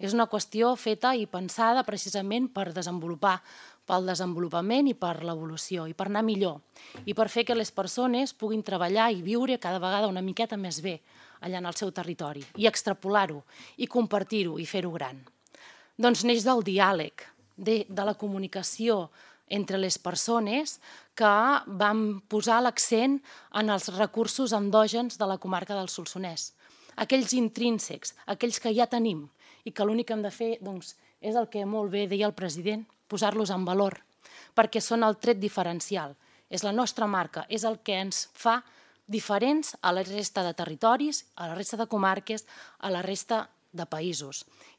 És una qüestió feta i pensada precisament per desenvolupar, pel desenvolupament i per l'evolució, i per anar millor, i per fer que les persones puguin treballar i viure cada vegada una miqueta més bé allà en el seu territori, i extrapolar-ho, i compartir-ho, i fer-ho gran. Doncs neix del diàleg, de la comunicació entre les persones que vam posar l'accent en els recursos endògens de la comarca del Solsonès, aquells intrínsecs, aquells que ja tenim, i que l'únic que hem de fer és el que molt bé deia el president, posar-los en valor, perquè són el tret diferencial, és la nostra marca, és el que ens fa diferents a la resta de territoris, a la resta de comarques, a la resta de països. I